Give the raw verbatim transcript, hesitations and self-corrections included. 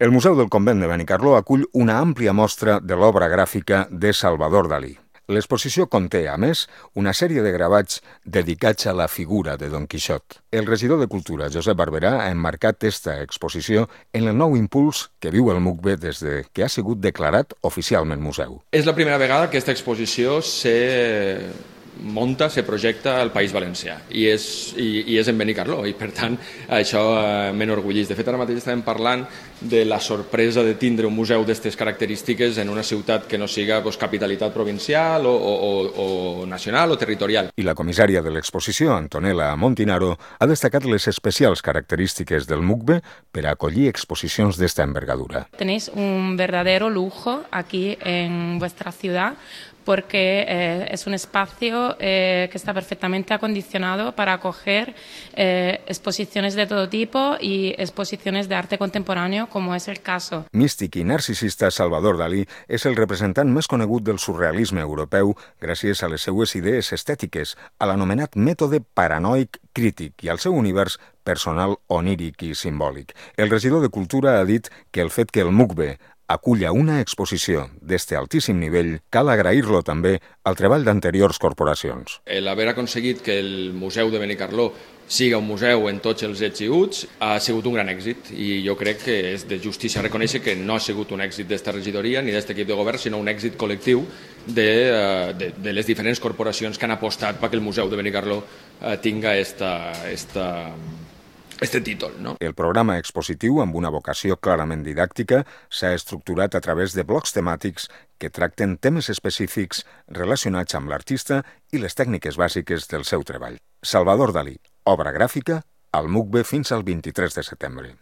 El Museu del Convent de Benicarló acull una àmplia mostra de l'obra gràfica de Salvador Dalí. L'exposició conté, a més, una sèrie de gravats dedicats a la figura de Don Quixot. El regidor de Cultura, Josep Barberà, ha emmarcat esta exposició en el nou impuls que viu el MUCBE des de que ha sigut declarat oficialment museu. És la primera vegada que aquesta exposició se monta, se projecta al País Valencià i és, i, i és en Benicarló i per tant això eh, m'enorgulleix. De fet ara mateix estàvem parlant de la sorpresa de tindre un museu d'aquestes característiques en una ciutat que no siga pues, capitalitat provincial o, o, o, o nacional o territorial. I la comissària de l'exposició, Antonella Montinaro, ha destacat les especials característiques del MUCBE per a acollir exposicions d'esta envergadura. Tenéis un verdadero lujo aquí en vuestra ciudad porque eh, es un espacio eh, que está perfectamente acondicionado para acoger eh, exposiciones de todo tipo y exposiciones de arte contemporáneo, como es el caso. Místic i narcisista Salvador Dalí és el representant més conegut del surrealisme europeu gràcies a les seues idees estètiques, a l'anomenat mètode paranoic crític i al seu univers personal oníric i simbòlic. El regidor de Cultura ha dit que el fet que el MUCBE aculla una exposició d'este altíssim nivell, cal agrair-lo també al treball d'anteriors corporacions. L'haver aconseguit que el Museu de Benicarló siga un museu en tots els ets i uts ha sigut un gran èxit i jo crec que és de justícia reconèixer que no ha sigut un èxit d'esta regidoria ni d'este equip de govern, sinó un èxit col·lectiu de, de, de les diferents corporacions que han apostat perquè el Museu de Benicarló tinga esta, esta este títol, no? El programa expositiu, amb una vocació clarament didàctica, s'ha estructurat a través de blocs temàtics que tracten temes específics relacionats amb l'artista i les tècniques bàsiques del seu treball. Salvador Dalí, obra gràfica, al MUCBE fins al vint-i-tres de setembre.